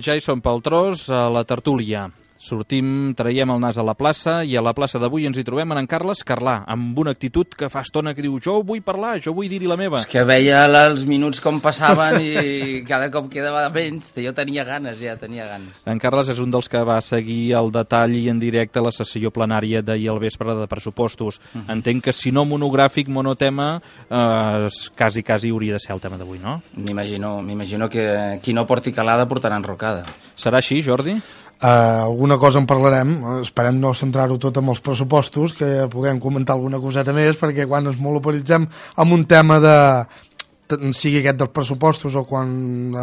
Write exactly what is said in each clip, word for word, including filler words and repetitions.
Ja hi som pel tros, a la tertúlia. Sortim, traiem el nas a la plaça i a la plaça d'avui ens hi trobem en en Carles Carlà, amb una actitud que fa estona que diu jo vull parlar, jo vull dir-hi la meva. És que veia els minuts com passaven i cada cop quedava menys. Jo tenia ganes, ja tenia ganes. En Carles és un dels que va seguir al detall i en directe la sessió plenària d'ahir al vespre de pressupostos. Uh-huh. Entenc que si no monogràfic, monotema, eh, quasi, quasi hauria de ser el tema d'avui, no? M'imagino, m'imagino que qui no porti calada portarà enrocada. Serà així, Jordi? Uh, alguna cosa en parlarem, esperem no centrar-ho tot amb els pressupostos, que puguem comentar alguna coseta més, perquè quan ens monopolitzem amb un tema de sigui aquest dels pressupostos o quan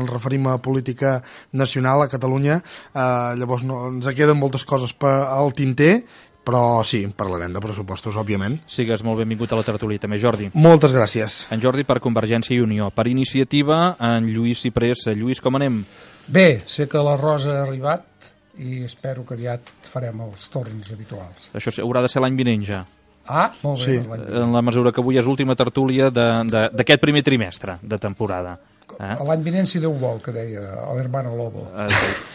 ens referim a política nacional a Catalunya, uh, llavors no, ens queden moltes coses per, al tinter, però sí, parlarem de pressupostos, òbviament. Sigues molt benvingut a la tertúlia, també, Jordi. Moltes gràcies. En Jordi per Convergència i Unió. Per iniciativa, en Lluís Ciprés. Lluís, com anem? Bé, sé que la Rosa ha arribat i espero que aviat farem els torns habituals. Això haurà de ser l'any vinent ja. Ah, molt bé. Sí. L'any vinent. En la mesura que avui és l'última tertúlia d'aquest primer trimestre de temporada. Eh? L'any vinent, si Déu vol, que deia l'hermano Lobo. Eh,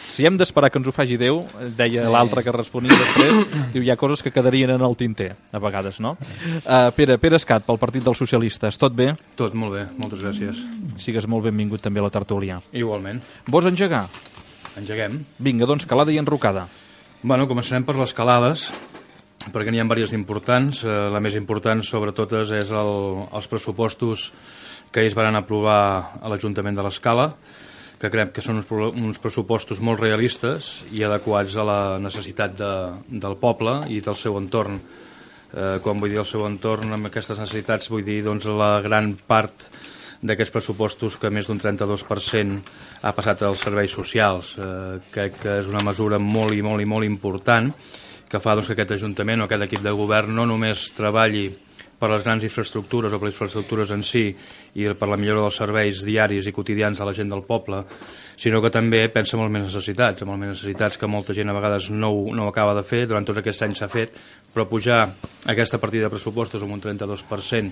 si hem d'esperar que ens ho faci Déu, deia l'altre que responia després, diu, hi ha coses que quedarien en el tinter, a vegades, no? Uh, Pere, Pere Escat, pel Partit dels Socialistes, tot bé? Tot molt bé, moltes gràcies. Sigues molt benvingut també a la tertúlia. Igualment. Vols engegar? Engeguem. Vinga, doncs, calada i enrocada. Bueno, començarem per les calades, perquè n'hi ha diverses importants. Eh, la més important, sobre totes, és el, els pressupostos que ells van aprovar a l'Ajuntament de l'Escala, que crec que són uns, uns pressupostos molt realistes i adequats a la necessitat de, del poble i del seu entorn. Eh, quan vull dir el seu entorn, amb aquestes necessitats vull dir doncs, la gran part d'aquests pressupostos que més d'un trenta-dos per cent ha passat als serveis socials. Eh, crec que és una mesura molt i molt i molt important que fa doncs, que aquest Ajuntament o aquest equip de govern no només treballi per les grans infraestructures o per les infraestructures en si i per la millora dels serveis diaris i quotidians de la gent del poble, sinó que també pensa en les més necessitats, en les més necessitats que molta gent a vegades no, no ho acaba de fer, durant tots aquests anys s'ha fet, però pujar aquesta partida de pressupostos amb un trenta-dos per cent.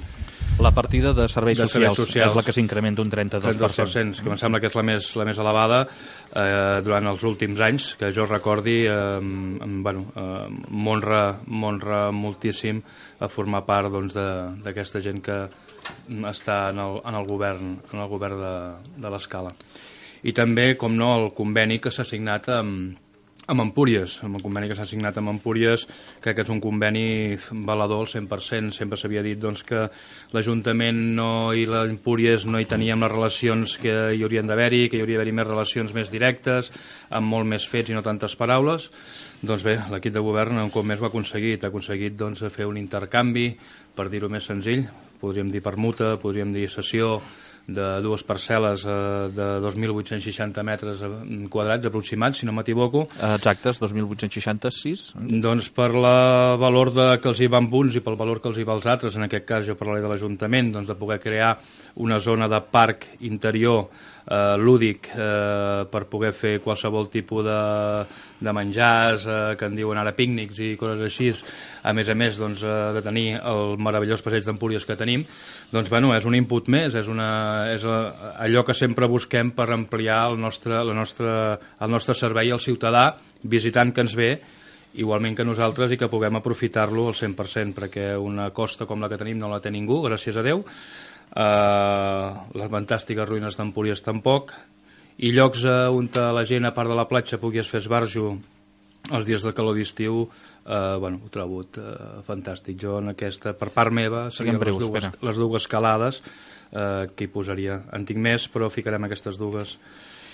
La partida de serveis, de socials, serveis socials és la que s'incrementa un trenta-dos per cent. Que em sembla que és la més, la més elevada eh, durant els últims anys, que jo recordi, eh, bueno, eh, m'honra moltíssim a formar part doncs, d'aquesta gent que està en el, en el govern, en el govern de, de l'Escala. I també, com no, el conveni que s'ha signat amb, amb Empúries, amb el conveni que s'ha signat amb Empúries, crec que és un conveni valedor al cent per cent. Sempre s'havia dit doncs, que l'Ajuntament no, i l'Empúries no hi teníem les relacions que hi haurien d'haver-hi, que hi hauria d'haver-hi més relacions més directes, amb molt més fets i no tantes paraules. Doncs bé, l'equip de govern un cop més ho ha aconseguit, ha aconseguit doncs, fer un intercanvi, per dir-ho més senzill, podríem dir permuta, podríem dir cessió, de dues parcel·les eh, de dos mil vuit-cents seixanta metres quadrats aproximats, si no m'equivoco. Exactes, dos mil vuit-cents seixanta-sis. Doncs per la valor de, que els hi van uns i pel valor que els hi va als altres, en aquest cas jo parlaré de l'Ajuntament, doncs de poder crear una zona de parc interior eh, lúdic eh, per poder fer qualsevol tipus de, de menjars, eh, que en diuen ara pícnics i coses així, a més a més doncs, eh, de tenir el meravellós passeig d'Empúries que tenim, doncs bueno, és un input més, és, una, és allò que sempre busquem per ampliar el nostre, la nostra, el nostre servei al ciutadà, visitant que ens ve, igualment que nosaltres, i que puguem aprofitar-lo al cent per cent, perquè una costa com la que tenim no la té ningú, gràcies a Déu, uh, les fantàstiques ruïnes d'Empúries tampoc, i llocs uh, on la gent, a part de la platja, pugui fer esbarjo els dies de calor d'estiu, uh, bueno, ho trobo uh, fantàstic. Jo en aquesta, per part meva, serien les dues, les dues calades uh, que hi posaria. En tinc més, però ficarem aquestes dues.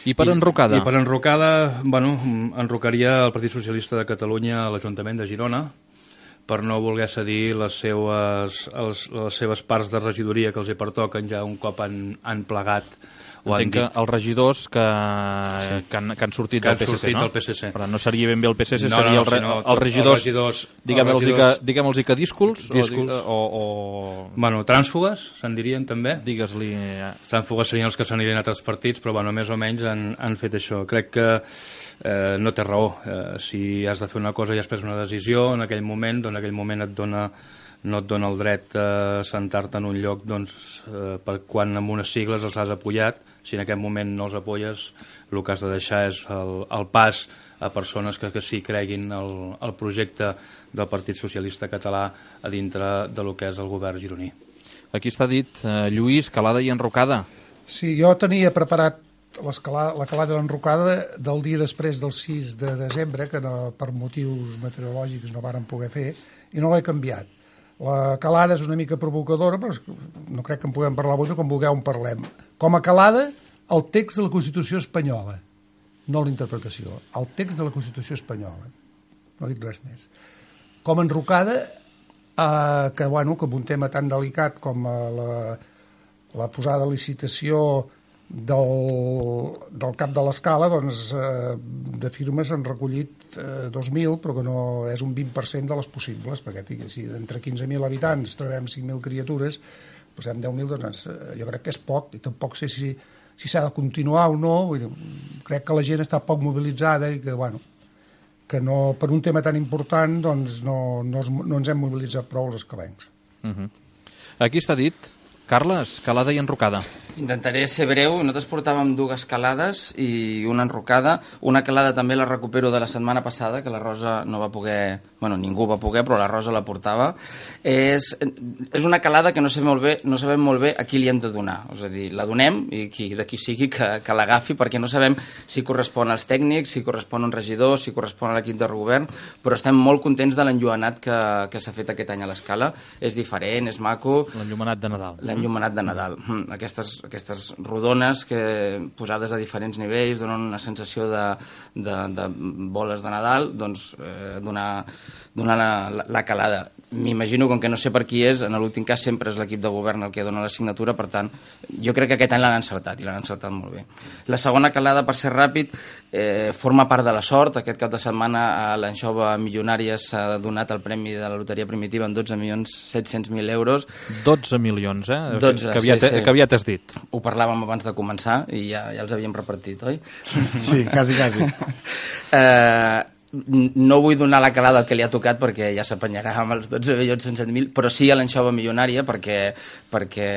I per enrocada? I, i per enrocada, bueno, enrocaria el Partit Socialista de Catalunya a l'Ajuntament de Girona, per no voler cedir les seues, els, les seves parts de regidoria que els hi pertoquen ja un cop han, han plegat. Entenc que els regidors que, sí. que, han, que han sortit que del P S C, sortit no? Del P S C. Però no seria ben bé el P S C, no, seria no, el, re, sinó, els regidors, els regidors diguem-los regidors, que, diguem que díscols, díscols. O, o, o... Bueno, trànsfugues, se'n dirien també. Digues-li... Trànsfugues serien els que s'anirien a altres partits, però bueno, més o menys han, han fet això. Crec que eh, no té raó. Eh, si has de fer una cosa i has pres una decisió, en aquell moment, doncs en aquell moment et dona, no et dona el dret a sentar-te en un lloc doncs, eh, per quan amb unes sigles els has apoyat. Si en aquest moment no els apoyes, el que has de deixar és el, el pas a persones que, que sí creguin el, el projecte del Partit Socialista Català a dintre de lo que és el govern gironí. Aquí està dit, eh, Lluís, calada i enrocada. Sí, jo tenia preparat la calada i l'enrocada del dia després del sis de desembre, que no, per motius meteorològics no varen poder fer, i no l'he canviat. La calada és una mica provocadora, però no crec que en puguem parlar avui, com vulgueu en parlem. Com a calada, el text de la Constitució espanyola, no la interpretació, el text de la Constitució espanyola. No dic res més. Com a enrocada, eh, que, bueno, que amb un tema tan delicat com la, la posada a licitació del, del cap de l'escala, doncs, eh, de firmes han recollit eh, dos mil, però que no és un vint per cent de les possibles, perquè si d'entre quinze mil habitants trobem cinc mil criatures, posem deu mil, doncs eh, jo crec que és poc, i tampoc sé si si s'ha de continuar o no. Vull dir, crec que la gent està poc mobilitzada i que, bueno, que no, per un tema tan important doncs no, no, es, no ens hem mobilitzat prou els escalencs. Uh -huh. Aquí està dit, Carles, calada i enrocada. Intentaré ser breu. Nosaltres portàvem dues calades i una enrocada. Una calada també la recupero de la setmana passada, que la Rosa no va poder... Bueno, ningú va poder, però la Rosa la portava. És, és una calada que no sabem molt bé, no sabem molt bé a qui li hem de donar. És a dir, la donem i qui, de qui sigui que, que l'agafi, perquè no sabem si correspon als tècnics, si correspon a un regidor, si correspon a l'equip de govern, però estem molt contents de l'enllumenat que, que s'ha fet aquest any a l'Escala. És diferent, és maco. L'enllumenat de Nadal. L'enllumenat de Nadal. Aquestes aquestes rodones que posades a diferents nivells donen una sensació de, de, de boles de Nadal, doncs eh, donar, donar la, la, la calada. M'imagino, com que no sé per qui és, en l'últim cas sempre és l'equip de govern el que dona la signatura, per tant, jo crec que aquest any l'han encertat, i l'han encertat molt bé. La segona calada, per ser ràpid, eh, forma part de la sort. Aquest cap de setmana a l'Anxova Milionària s'ha donat el premi de la loteria primitiva en dotze milions set-cents mil euros. dotze milions, eh? dotze, que, aviat, sí, sí. que aviat has dit. Ho parlàvem abans de començar i ja, ja els havíem repartit, oi? Sí, quasi, quasi. eh, no vull donar la calada al que li ha tocat perquè ja s'apanyarà amb els dotze milions cent mil, però sí a l'Anxova Milionària perquè, perquè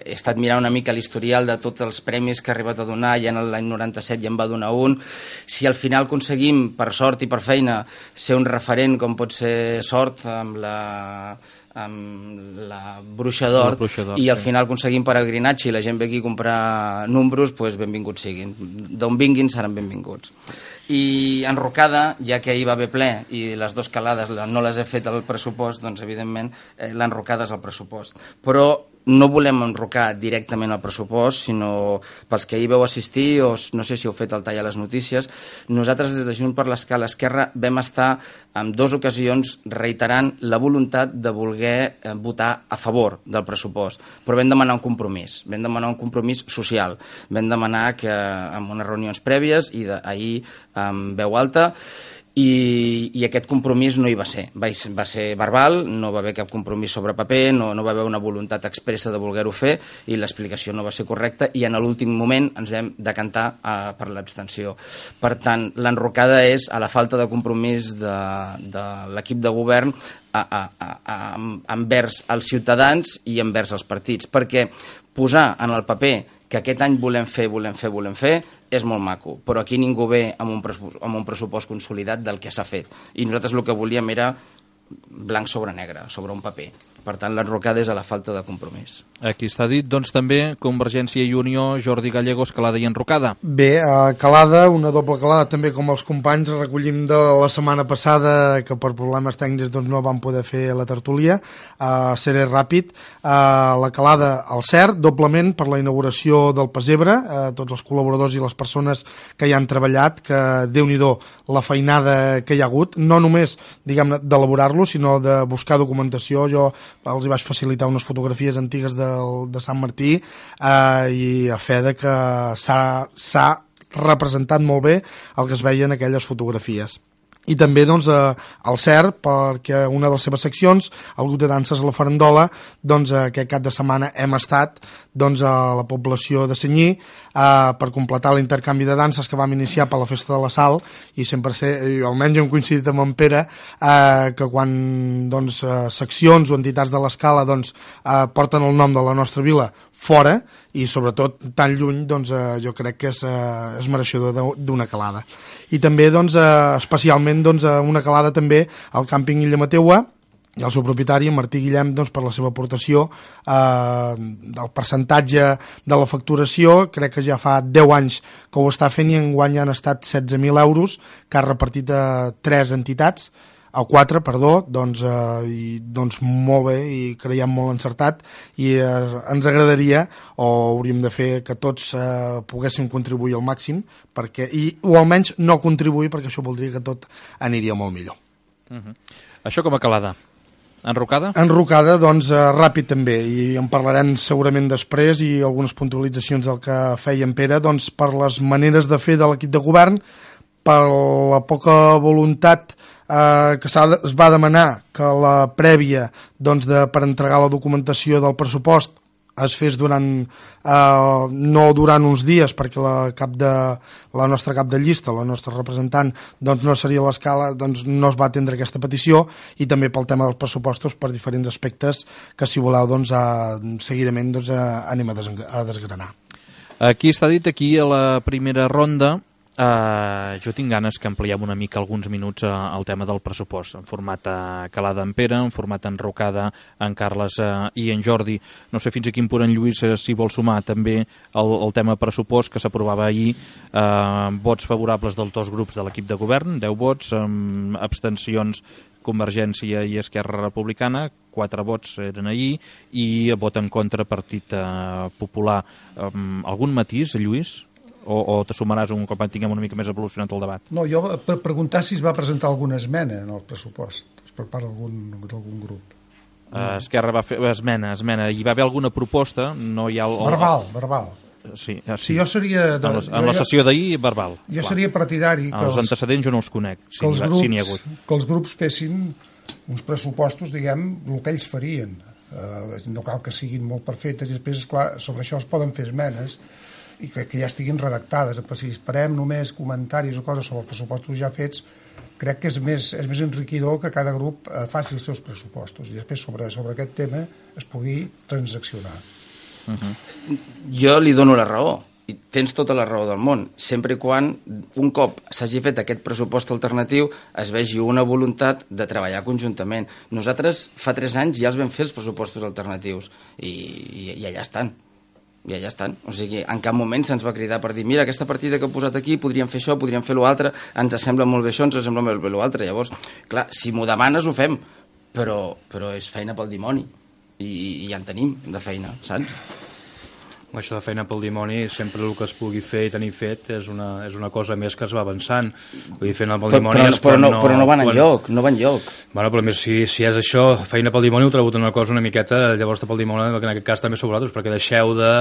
he estat mirant una mica l'historial de tots els premis que ha arribat a donar. Ja en l'any noranta-set ja en va donar un. Si al final aconseguim, per sort i per feina, ser un referent com pot ser Sort amb la... amb la Bruixa d'Or i al final aconseguim peregrinatge i la gent ve aquí a comprar números, doncs benvinguts siguin. D'on vinguin seran benvinguts. I enrocada, ja que ahir va haver ple i les dues calades no les he fet al pressupost, doncs evidentment eh, l'enrocada és el pressupost. Però no volem enrocar directament al pressupost, sinó pels que ahir vau assistir, o no sé si heu fet el tall a les notícies, nosaltres des de Junts per l'Escala Esquerra vam estar en dues ocasions reiterant la voluntat de voler votar a favor del pressupost, però vam demanar un compromís, vam demanar un compromís social, vam demanar que en unes reunions prèvies i ahir amb veu alta, I, i aquest compromís no hi va ser. Va, va ser verbal, no va haver cap compromís sobre paper, no, no va haver una voluntat expressa de voler-ho fer i l'explicació no va ser correcta i en l'últim moment ens vam decantar uh, per l'abstenció. Per tant, l'enrocada és a la falta de compromís de, de l'equip de govern a, a, a, a, envers els ciutadans i envers els partits, perquè posar en el paper que aquest any volem fer, volem fer, volem fer, és molt maco, però aquí ningú ve amb un pressupost, amb un pressupost consolidat del que s'ha fet. I nosaltres el que volíem era blanc sobre negre, sobre un paper. Per tant, l'enrocada és a la falta de compromís. Aquí està dit, doncs també, Convergència i Unió, Jordi Gallegos, calada i enrocada. Bé, uh, calada, una doble calada, també com els companys recollim de la setmana passada, que per problemes tècnics doncs, no van poder fer la tertúlia. Uh, seré ràpid. Uh, la calada al cert, doblement per la inauguració del Pessebre, uh, tots els col·laboradors i les persones que hi han treballat, que Déu-n'hi-do la feinada que hi ha hagut, no només, diguem-ne, d'elaborar-lo, fer-lo, sinó de buscar documentació. Jo els hi vaig facilitar unes fotografies antigues del, de Sant Martí eh, i a fe de que s'ha representat molt bé el que es veia en aquelles fotografies. I també doncs, eh, el C E R, perquè una de les seves seccions, el grup de danses a la Farandola, doncs, aquest cap de setmana hem estat doncs, a la població de Senyí eh, per completar l'intercanvi de danses que vam iniciar per la Festa de la Sal, i sempre sé, i almenys hem coincidit amb en Pere, eh, que quan doncs, eh, seccions o entitats de l'escala doncs, eh, porten el nom de la nostra vila fora, i sobretot tan lluny, doncs, eh, jo crec que és, eh, és mereixedor d'una calada. I també doncs, eh, especialment doncs, una calada també al càmping Illa Mateua i el seu propietari, Martí Guillem, doncs, per la seva aportació eh, del percentatge de la facturació. Crec que ja fa deu anys que ho està fent i enguany han estat setze mil euros que ha repartit a tres entitats, a quatre, perdó, doncs, eh, i, doncs molt bé i creiem molt encertat, i eh, ens agradaria, o hauríem de fer que tots eh, poguéssim contribuir al màxim, perquè, i, o almenys no contribuir, perquè això voldria que tot aniria molt millor. Uh-huh. Això com a calada? Enrocada? Enrocada, doncs, eh, ràpid també, i en parlarem segurament després, i algunes puntualitzacions del que feia en Pere, doncs, per les maneres de fer de l'equip de govern, per la poca voluntat eh, que es va demanar que la prèvia doncs, de, per entregar la documentació del pressupost es fes durant, eh, no durant uns dies, perquè la, cap de, la nostra cap de llista, la nostra representant, doncs no seria a l'escala, doncs no es va atendre aquesta petició, i també pel tema dels pressupostos per diferents aspectes que, si voleu, doncs, eh, seguidament doncs, eh, anem a, des, a desgranar. Aquí està dit, aquí a la primera ronda, Uh, jo tinc ganes que ampliem una mica alguns minuts uh, al tema del pressupost, en format uh, calada en Pere, en format enrocada en Carles uh, i en Jordi. No sé fins a quin punt en Lluís uh, s'hi vol sumar també el, el tema pressupost que s'aprovava ahir, uh, vots favorables dels dos grups de l'equip de govern, deu vots, um, abstencions Convergència i Esquerra Republicana, quatre vots eren ahir, i vot en contra Partit uh, Popular. Um, algun matís, Lluís? O, o te sumaràs un cop tinguem una mica més evolucionat el debat? No, jo per preguntar si es va presentar alguna esmena en el pressupost per part d'algun grup. Uh, Esquerra va fer esmena, esmena. Hi va haver alguna proposta? No hi ha el, el... Verbal, verbal. Sí, sí. Si jo seria... De, en, la, en la sessió d'ahir, verbal. Jo clar. seria partidari... Que els, els antecedents jo no els conec, si, que els grups, si n'hi ha hagut. Que els grups fessin uns pressupostos, diguem, el que ells farien. Uh, no cal que siguin molt perfectes, i després, esclar, sobre això es poden fer esmenes, i que, que ja estiguin redactades. Si esperem només comentaris o coses sobre els pressupostos ja fets, crec que és més, és més enriquidor que cada grup eh, faci els seus pressupostos i després sobre, sobre aquest tema es pugui transaccionar. Uh-huh. Jo li dono la raó, i tens tota la raó del món, sempre i quan un cop s'hagi fet aquest pressupost alternatiu es vegi una voluntat de treballar conjuntament. Nosaltres fa tres anys ja els vam fer els pressupostos alternatius i, i, i allà estan. I allà estan. O sigui, en cap moment se'ns va cridar per dir mira, aquesta partida que he posat aquí, podríem fer això, podríem fer l'altre, ens sembla molt bé això, ens sembla molt bé l'altre. Llavors, clar, si m'ho demanes ho fem, però, però és feina pel dimoni. I, i ja en tenim, de feina, saps? Això de feina pel dimoni, sempre el que es pugui fer i tenir fet és una, és una cosa més que es va avançant. Vull dir, feina pel dimoni però, és però, no, no, però no van quan... enlloc, no van enlloc. Bueno, però si, si és això, feina pel dimoni, ho trobo una cosa una miqueta, llavors pel dimoni, en aquest cas també sou vosaltres, perquè deixeu de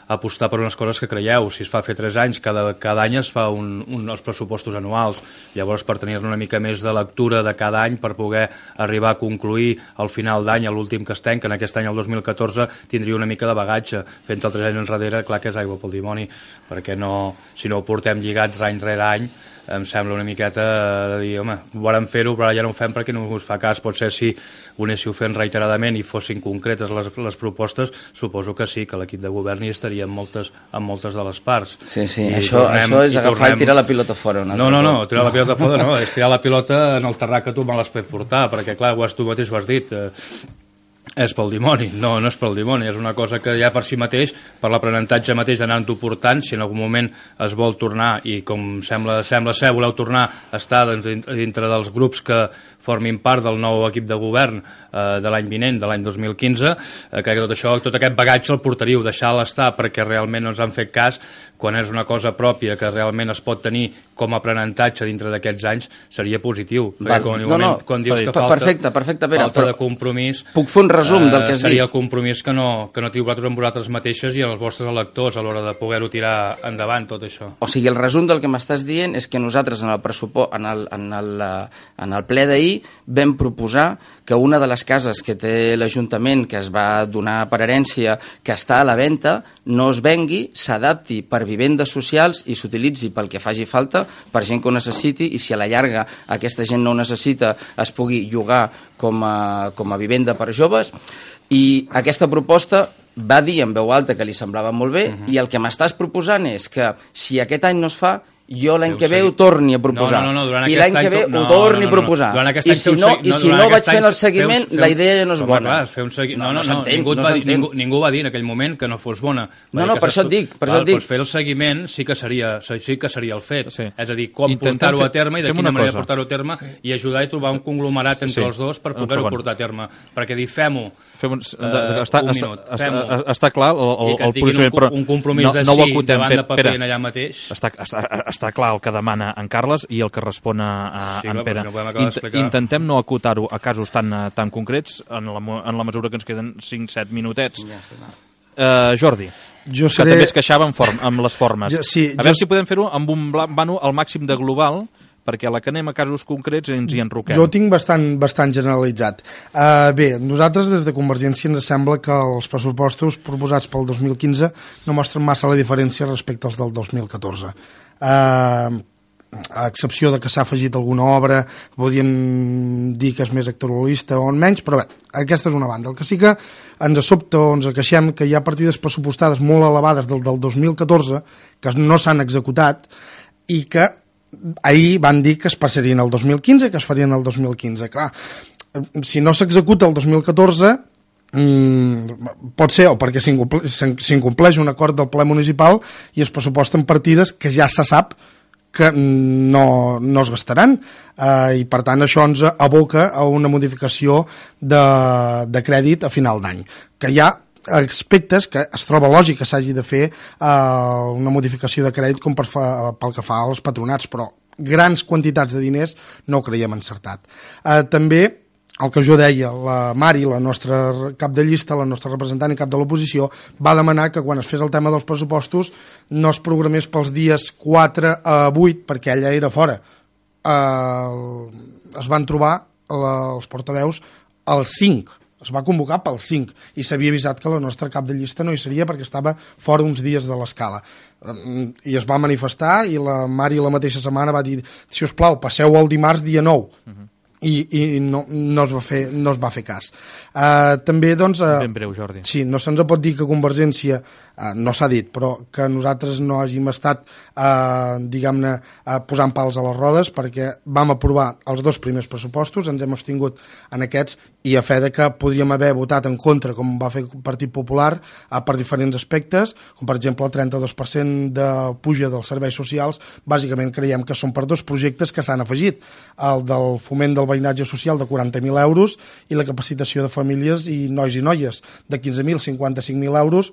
apostar per unes coses que creieu. Si es fa fer tres anys, cada, cada any es fa un, un, els pressupostos anuals. Llavors, per tenir-ne una mica més de lectura de cada any, per poder arribar a concluir al final d'any, a l'últim que es tanca, en aquest any, el dos mil catorze, tindria una mica de bagatge. Fent el tres anys enrere, clar que és aigua pel dimoni, perquè no, si no ho portem lligats any rere any, em sembla una miqueta de dir, home, volem fer-ho, però ara ja no ho fem perquè no us fa cas. Potser si ho anéssiu fent reiteradament i fossin concretes les, les propostes, suposo que sí, que l'equip de govern hi estaria en moltes, en moltes de les parts. Sí, sí, I això, tornem, això és agafar i, tornem... i tirar la pilota fora. No, no, no, tirar la pilota fora no, és tirar la pilota en el terrat que tu me l'has fet portar, perquè clar, ho has, tu mateix ho has dit, eh, és pel dimoni. No, no és pel dimoni, és una cosa que ja per si mateix, per l'aprenentatge mateix d'anar-ho portant, si en algun moment es vol tornar, i com sembla, sembla ser, voleu tornar a estar doncs, dintre dels grups que formin part del nou equip de govern eh, de l'any vinent, de l'any dos mil quinze, eh, que tot això, tot aquest bagatge el portaríeu, deixar-lo estar perquè realment no ens han fet cas, quan és una cosa pròpia que realment es pot tenir com a aprenentatge dintre d'aquests anys, seria positiu. Perquè quan, no, no, quan dius que falta, perfecte, perfecte, Pere, falta de compromís, puc fer un resum del que has seria dit? el compromís que no, que no teniu vosaltres amb vosaltres mateixes i els vostres electors a l'hora de poder-ho tirar endavant, tot això. O sigui, el resum del que m'estàs dient és que nosaltres en el pressupost, en el, en el, en el ple d'ahir vam proposar que una de les cases que té l'Ajuntament, que es va donar per herència, que està a la venda, no es vengui, s'adapti per vivendes socials i s'utilitzi pel que faci falta, per gent que ho necessiti, i si a la llarga aquesta gent no ho necessita, es pugui llogar com a, com a vivenda per joves. I aquesta proposta va dir en veu alta que li semblava molt bé, uh-huh. i el que m'estàs proposant és que si aquest any no es fa, jo l'any que ve ho torni a proposar. No, no, no, I l'any que ve ho torni a proposar. I si no, i si no vaig fent el seguiment, la idea ja no és bona. No, no, no, ningú va dir en aquell moment que no fos bona. No, no, per això et dic. Doncs fer el seguiment sí que seria el fet. És a dir, com portar-ho a terme i de quina manera portar-ho a terme i ajudar i trobar un conglomerat entre els dos per poder-ho portar a terme. Perquè dir, fem-ho un minut, fem-ho. Està clar el posicionament, però un compromís de sí davant de paper allà mateix. Està clar el que demana en Carles i el que respon a sí, en Pere. No Int Intentem no acotar-ho a casos tan, tan concrets en la, en la mesura que ens queden cinc set minutets. Ja, uh, Jordi, jo seré... que també es queixava amb, form, amb les formes. Jo, sí, a jo... veure si podem fer-ho amb un vano al màxim de global, perquè a la que anem a casos concrets ens hi enroquem. Jo ho tinc bastant, bastant generalitzat. Uh, bé, nosaltres des de Convergència ens sembla que els pressupostos proposats pel dos mil quinze no mostren massa la diferència respecte als del dos mil catorze. Uh, a excepció de que s'ha afegit alguna obra, podríem dir que és més electoralista o menys, però bé, aquesta és una banda. El que sí que ens sobta o ens queixem que hi ha partides pressupostades molt elevades del, del dos mil catorze que no s'han executat i que ahir van dir que es passarien el dos mil quinze i que es farien el dos mil quinze. Clar, si no s'executa el dos mil catorze, mm, pot ser o perquè s'incompleix un acord del ple municipal i es pressuposten partides que ja se sap que no, no es gastaran, eh, i per tant això ens aboca a una modificació de, de crèdit a final d'any, que hi ha aspectes que es troba lògic que s'hagi de fer eh, una modificació de crèdit com per fa, pel que fa als patronats, però grans quantitats de diners no ho creiem encertat. Eh, també el que jo deia, la Mari, la nostra cap de llista, la nostra representant i cap de l'oposició, va demanar que quan es fes el tema dels pressupostos no es programés pels dies quatre a vuit, perquè ella era fora. Eh, es van trobar la, els portaveus al cinc, es va convocar pel cinc, i s'havia avisat que la nostra cap de llista no hi seria perquè estava fora uns dies de l'escala. I es va manifestar i la Mari la mateixa setmana va dir, si us plau, passeu el dimarts dia nou. Uh-huh. i, i no, no, es va fer, no es va fer cas. Uh, també, doncs... Uh, ben breu, Jordi. Sí, no se'ns pot dir que Convergència, uh, no s'ha dit, però que nosaltres no hàgim estat, uh, diguem-ne, uh, posant pals a les rodes, perquè vam aprovar els dos primers pressupostos, ens hem abstingut en aquests, i a fe de que podríem haver votat en contra, com va fer el Partit Popular, uh, per diferents aspectes, com per exemple el trenta-dos per cent de puja dels serveis socials, bàsicament creiem que són per dos projectes que s'han afegit, el del foment del veïnatge social de quaranta mil euros i la capacitació de famílies i nois i noies de quinze mil, cinquanta-cinc mil euros,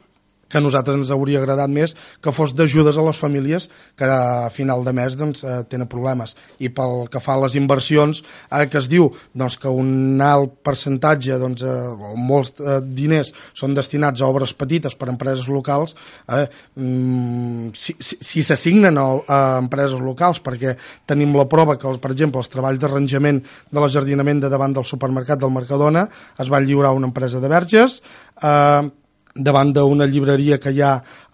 que a nosaltres ens hauria agradat més que fos d'ajudes a les famílies que a final de mes doncs, eh, tenen problemes. I pel que fa a les inversions, eh, que es diu doncs, que un alt percentatge doncs, eh, o molts eh, diners són destinats a obres petites per a empreses locals, eh, mm, si, si, si s'assignen a, a empreses locals, perquè tenim la prova que, per exemple, els treballs d'arranjament de l'ajardinament de davant del supermercat del Mercadona es van lliurar a una empresa de Verges, eh, davant d'una llibreria que hi ha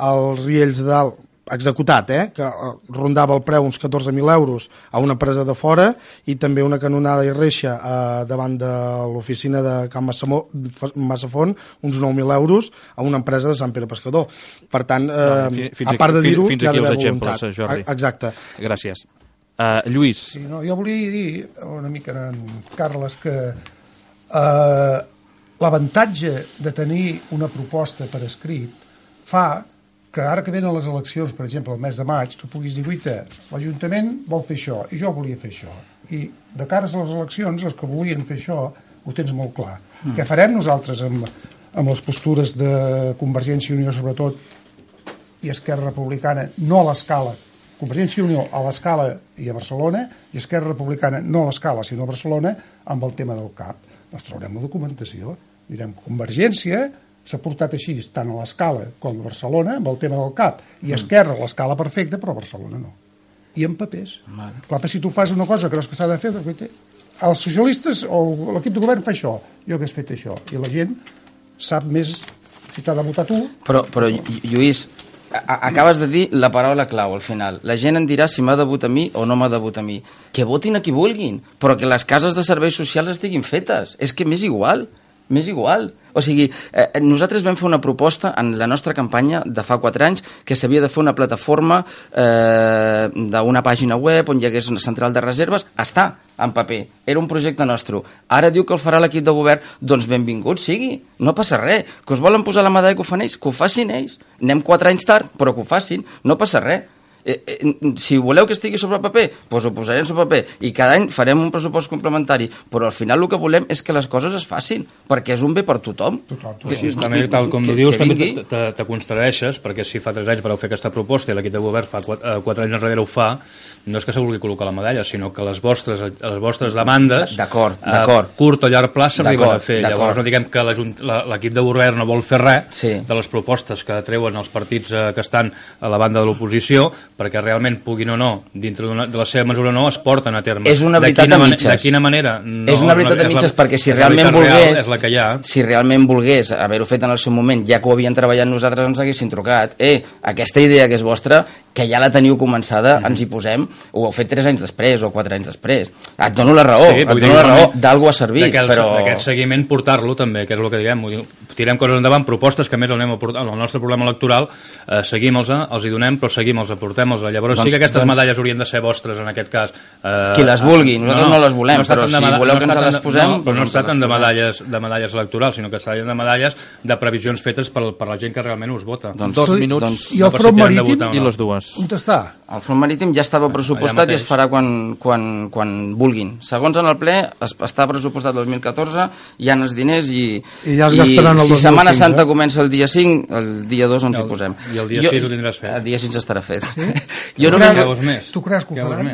als Riells de Dalt, executat, eh, que rondava el preu uns catorze mil euros a una empresa de fora, i també una canonada i reixa eh, davant de l'oficina de Can Massafont, uns nou mil euros a una empresa de Sant Pere Pescador. Per tant, eh, no, fins a part de dir-ho, hi ha d'haver voluntat. Jordi. Exacte. Gràcies. Uh, Lluís. Sí, no, jo volia dir una mica en Carles que eh, l'avantatge de tenir una proposta per escrit fa que ara que venen les eleccions, per exemple, el mes de maig, tu puguis dir, guaita, l'Ajuntament vol fer això, i jo volia fer això. I de cares a les eleccions, els que volien fer això, ho tens molt clar. Mm. Què farem nosaltres amb, amb les postures de Convergència i Unió, sobretot, i Esquerra Republicana, no a l'escala, Convergència i Unió a l'escala i a Barcelona, i Esquerra Republicana no a l'escala, sinó a Barcelona, amb el tema del C A P. Doncs traurem la documentació. Direm, Convergència s'ha portat així, tant a l'escala com a Barcelona, amb el tema del C A P, i Esquerra a l'escala perfecta, però a Barcelona no. I en papers. Vale. Clar, si tu fas una cosa que creus que s'ha de fer, els socialistes o l'equip de govern fa això, jo hagués fet això, i la gent sap més si t'ha de votar tu. Però, però Lluís, acabes de dir la paraula clau al final. La gent em dirà si m'ha de votar a mi o no m'ha de votar a mi. Que votin a qui vulguin, però que les cases de serveis socials estiguin fetes. És que m'és igual. M'és igual. O sigui, eh, nosaltres vam fer una proposta en la nostra campanya de fa quatre anys que s'havia de fer una plataforma eh, d'una pàgina web on hi hagués una central de reserves. Està en paper. Era un projecte nostre. Ara diu que el farà l'equip de govern. Doncs benvingut sigui. No passa res. Que us volen posar la medalla que ho fan ells, que ho facin ells. Anem quatre anys tard, però que ho facin. No passa res. Eh, eh, si voleu que estigui sobre paper, doncs ho posarem sobre paper i cada any farem un pressupost complementari, però al final el que volem és que les coses es facin, perquè és un bé per tothom. Tothom, tothom. Que, sí, també, tal com que, dius, també te, te, te constradeixes, perquè si fa tres anys vareu fer aquesta proposta i l'equip de govern fa quatre, quatre anys enrere ho fa, no és que se vulgui col·locar la medalla, sinó que les vostres, les vostres demandes d'acord, a d'acord. curt o llarg plaç s'arriben a fer. Llavors no diguem que l'equip de govern no vol fer res sí. de les propostes que treuen els partits eh, que estan a la banda de l'oposició, perquè realment puguin o no, dintre de la seva mesura o no, es porten a terme. És una veritat a mitges. De quina manera? No, és una veritat a mitges, perquè si realment volgués, és la que hi ha. si realment volgués haver-ho fet en el seu moment, ja que ho havien treballat nosaltres, ens haguessin trucat. Eh, aquesta idea que és vostra, que ja la teniu començada, mm-hmm. ens hi posem, ho heu fet tres anys després o quatre anys després. Et dono la raó, sí, et dono la raó, d'algú ha servit, però... D'aquest seguiment portar-lo també, que és el que diguem, tirem coses endavant, propostes que més el, anem a portar, el nostre programa electoral, eh, seguim-los, els hi donem, però seguim-els, portem-els. Llavors doncs, sí que aquestes doncs, medalles haurien de ser vostres en aquest cas. Eh, qui les vulgui, nosaltres no, no les volem, no però si voleu no que ens les posem... No, però no es tracten de medalles, de medalles electorals, sinó que es tracten de medalles de previsions fetes per, per la gent que realment us vota. Doncs, dos minuts doncs, i el front marítim i les dues. On està? El front marítim ja estava pressupostat i es farà quan, quan, quan vulguin. Segons en el ple, es, està pressupostat el dos mil catorze, hi ha els diners i, I ja es gastaran el dos mil quinze. Si Setmana Santa comença el dia cinc, el dia dos ens hi posem. I el dia jo, sis ho tindràs fet. El dia sis estarà fet. Sí? jo tu, no creus, més? tu creus que ho faran?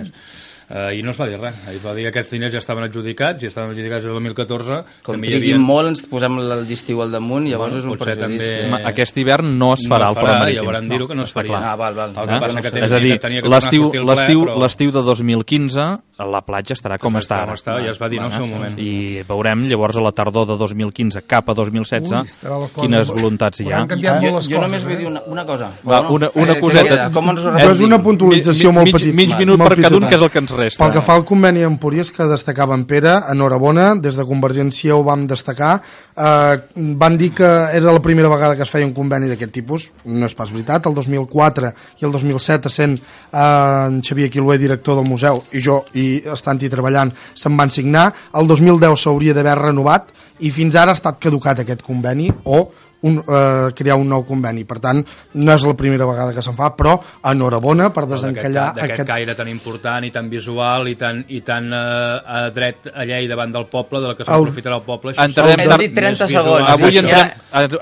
Uh, I no es va dir res. Es va dir que aquests diners ja estaven adjudicats, i estaven adjudicats el dos mil catorze. Com triguin molt, ens posem l'estiu al damunt, llavors bueno, és un perjudici. També... Aquest hivern no es farà no es farà, el front marítim. Ja vauran dir-ho que no es faria. Ah, val, val. El que passa no que sé. És a dir, l'estiu però... de dos mil quinze la platja estarà com està ara. Està, ja es va dir en el seu moment. I veurem llavors a la tardor de dos mil quinze cap a dos mil setze Ui, quines voluntats hi ha. Jo, jo només vull dir una, una cosa. Va, una, una coseta. Però és una puntualització molt petita. Mig minut per cada un, que és el que ens resta. Pel que fa al conveni amb Empúries que destacava en Pere, enhorabona, des de Convergència ho vam destacar, eh, van dir que era la primera vegada que es feia un conveni d'aquest tipus, no és pas veritat, el dos mil quatre i el dos mil set essent eh, en Xavier Quilué director del museu i jo i estant-hi treballant se'n van signar, el dos mil deu s'hauria d'haver renovat i fins ara ha estat caducat aquest conveni o un, eh, crear un nou conveni. Per tant, no és la primera vegada que se'n fa, però enhorabona per desencallar d'aquest aquest... caire tan important i tan visual i tan, i tan eh, a dret a llei davant del poble, de la que s'aprofitarà el poble. Entrarem hem dit trenta segons. Avui, entrem,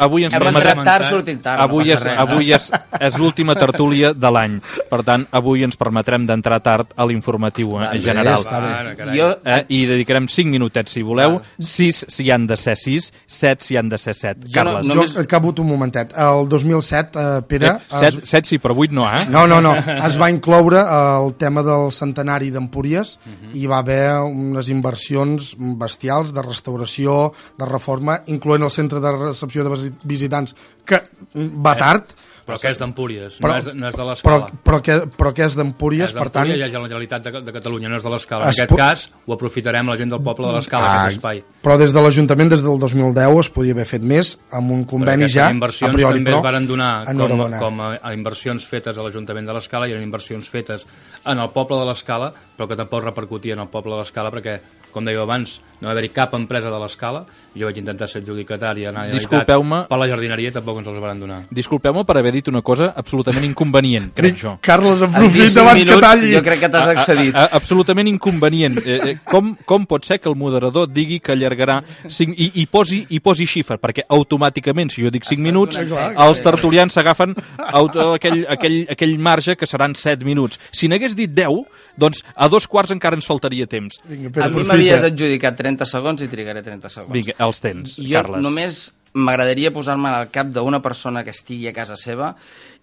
avui ens permetrem... Tard, sortim tard, avui no és, avui és, és l'última tertúlia de l'any. Per tant, avui ens permetrem d'entrar tard a l'informatiu en general. Va, jo... eh, I dedicarem cinc minutets, si voleu. sis si hi han de ser sis, set si hi han de ser set. Carles. No, no, acabo un momentet. El dos mil set, eh, Pere... set, set sí, però vuit no, eh? No, no, no. Es va incloure el tema del centenari d'Empúries uh-huh. i va haver unes inversions bestials de restauració, de reforma, incloent el centre de recepció de visitants, que va tard, Però que és d'Empúries, Però- no, és, de- no és de Però, l'Escala. però, que, però que és d'Empúries, És per tant... d'Empúries i és de la Generalitat de, de Catalunya, no és de l'Escala. En Es aquest pu- cas, ho aprofitarem la gent del poble de l'Escala, Ah, aquest espai. Però des de l'Ajuntament, des del dos mil deu, es podia haver fet més, amb un conveni Perquè ja, aquestes a inversions priori, també però... es varen donar com, enhorabona. com a, a inversions fetes a l'Ajuntament de l'Escala i eren inversions fetes en el poble de l'Escala, però que tampoc repercutia en el poble de l'Escala perquè, com dèieu abans, no va haver-hi cap empresa de l'Escala. Jo vaig intentar ser adjudicatari en la Generalitat, Disculpeu-me. per la jardineria tampoc ens els van donar. Disculpeu-me per haver dit una cosa absolutament inconvenient, crec jo. Carles, En aprofita cinc abans que minuts talli. jo crec que t'has excedit. A, a, absolutament inconvenient. Eh, eh, com, com pot ser que el moderador digui que allargarà cinc, i, i, posi, i posi xifra? Perquè automàticament, si jo dic cinc minuts, els tertulians s'agafen auto- aquell, aquell, aquell marge que seran set minuts. Si n'hagués dit deu, doncs a dos quarts encara ens faltaria temps. Vinga, A Pere, mi aprofita. m'havies adjudicat trenta segons i trigaré trenta segons. Vinga, els tens, Jo Carles. només m'agradaria posar-me al cap d'una persona que estigui a casa seva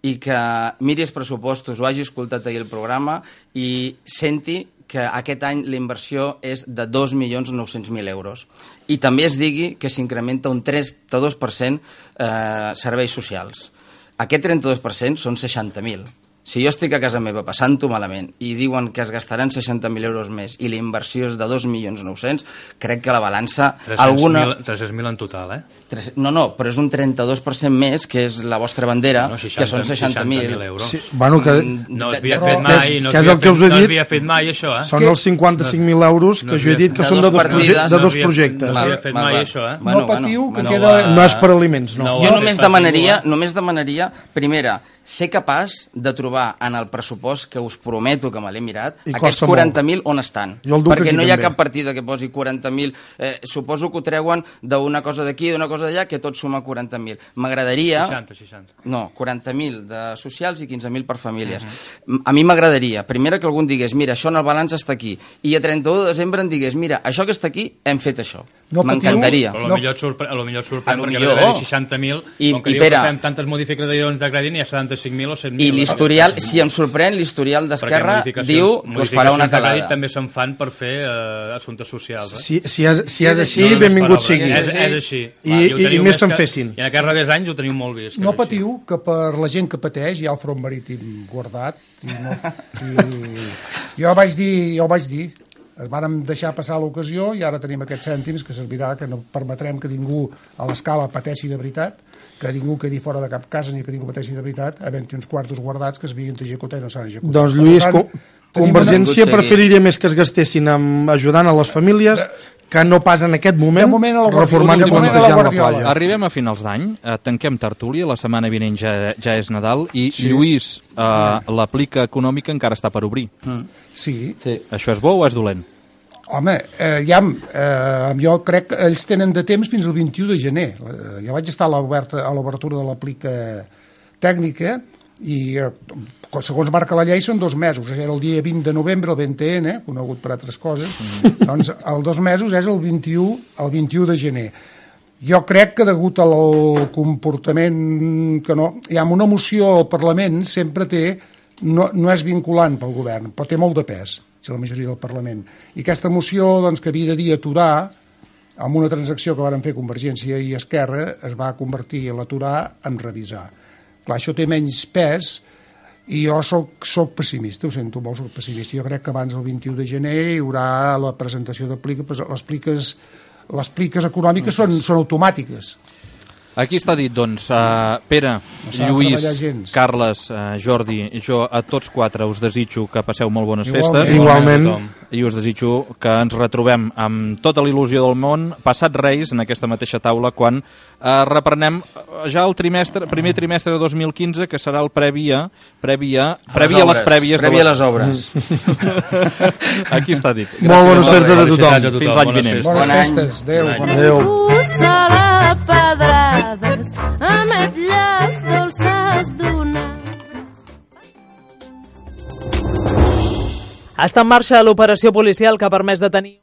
i que miri els pressupostos o hagi escoltat ahir el programa i senti que aquest any la inversió és de dos milions nou-cents mil euros. I també es digui que s'incrementa un trenta-dos per cent eh, serveis socials. Aquest trenta-dos per cent són seixanta mil. Si jo estic a casa meva passant-ho malament i diuen que es gastaran seixanta mil euros més i la inversió és de dos milions nou-cents, crec que la balança... alguna... tres-cents mil en total, eh? Tres- No, no, però és un trenta-dos per cent més, que és la vostra bandera, No, que són seixanta mil. euros. Sí, bueno, que No s'havia Però- fet mai, no que és s'havia el que us he fet- no dit. s'havia fet mai, això, eh? són els cinquanta-cinc mil euros no que jo he havia- dit que de són de dos dos, partides, proje de no dos havia- projectes. no Val, s'havia fet val, mai, val. això, eh? Bueno, No patiu, bueno, que bueno. queda- va- No és per aliments, no. No, Jo va només fer demanaria, patiu, només demanaria, primera, ser capaç de trobar en el pressupost que us prometo que me l'he mirat, I aquests costa molt. quaranta mil on estan. Jo el duc Perquè aquí no hi ha també. cap partida que posi quaranta mil. Eh, suposo que ho treuen d'una cosa d'aquí, d'una cosa d'allà, que tot suma quaranta mil. M'agradaria... seixanta, seixanta. No, quaranta mil de socials i quinze mil per famílies. Uh -huh. A mi m'agradaria, primera, que algú em digués, mira, això en el balanç està aquí, i a trenta-un de desembre em digués, mira, això que està aquí, hem fet això. No patiu. M'encantaria. Però No. potser et sorprèn, a lo millor et sorprèn A lo perquè millor. ve de seixanta mil, I- com que i diu que Pere. fem tantes modificacions de crèdit, n'hi ha setanta-cinc mil o cent mil. I l'historial, si em sorprèn, l'historial d'Esquerra diu que us farà una modificacions de crèdit calada. també se'n fan per fer eh, assumptes socials. Eh? Si, si, és, si és així, No, no és benvingut paraula. sigui. És, és així. I- Va, i- ho i teniu més se'n que- fessin. I en aquests darrers anys ho teniu molt vist. que No és així. patiu, que per la gent que pateix hi ha el front marítim guardat. I no, i jo vaig dir, jo vaig dir, es vàrem deixar passar l'ocasió i ara tenim aquests cèntims que servirà, que no permetrem que ningú a l'escala pateixi de veritat, que ningú quedi fora de cap casa ni que ningú pateixi de veritat, havent-hi uns quartos guardats que es havien d'executar i no s'han executat. Doncs, Per Lluís, tant, co tenim Convergència una- preferiria més que es gastessin amb ajudant a les famílies que no pas en aquest moment, De moment a la reformant Guardiola. i De moment a la plantejant la Guardiola. playa. Arribem a finals d'any, eh, tanquem tertúlia, la setmana vinent ja, ja és Nadal, i sí. Lluís, eh, l'aplica econòmica encara està per obrir. Mm. Sí, Sí. Això és bo o és dolent? home, eh, ja, eh, jo crec que ells tenen de temps fins al vint-i-u de gener. Eh, jo vaig estar a l'oberta- a l'obertura de l'aplica tècnica i eh, segons marca la llei són dos mesos, era el dia vint de novembre, el V T N, conegut per altres coses, mm. doncs els dos mesos és el vint-i-u, el vint-i-u de gener. Jo crec que degut al comportament que no... Hi ha una moció al Parlament sempre té... No, no és vinculant pel govern, però té molt de pes, si la majoria del Parlament. I aquesta moció, doncs, que havia de dir aturar, amb una transacció que varen fer Convergència i Esquerra, es va convertir l'aturar en revisar. Clar, això té menys pes i jo soc, soc pessimista, ho sento molt, soc pessimista. Jo crec que abans del vint-i-u de gener hi haurà la presentació de pliques, les pliques, les pliques econòmiques són, són automàtiques. Aquí està dit, doncs, uh, Pere, s'ha de Lluís, treballar gens. Carles, uh, Jordi, jo a tots quatre us desitjo que passeu molt bones Igualment. festes. Igualment. I us desitjo que ens retrobem amb tota la il·lusió del món, passat Reis, en aquesta mateixa taula, quan uh, reprenem ja el trimestre, primer trimestre de dos mil quinze, que serà el previ a, previ a, previ a les obres, prèvies. Previ de a les obres. Aquí està dit. Molt bones Gràcies. festes a Felicitats a tothom. tothom. Fins l'any Bones vinent. festes. Bones Bon any. festes, adéu. Bon any. Bona Adéu. Puça pedrades, ametlles dolces d'una. Està en marxa l'operació policial que ha permès detenir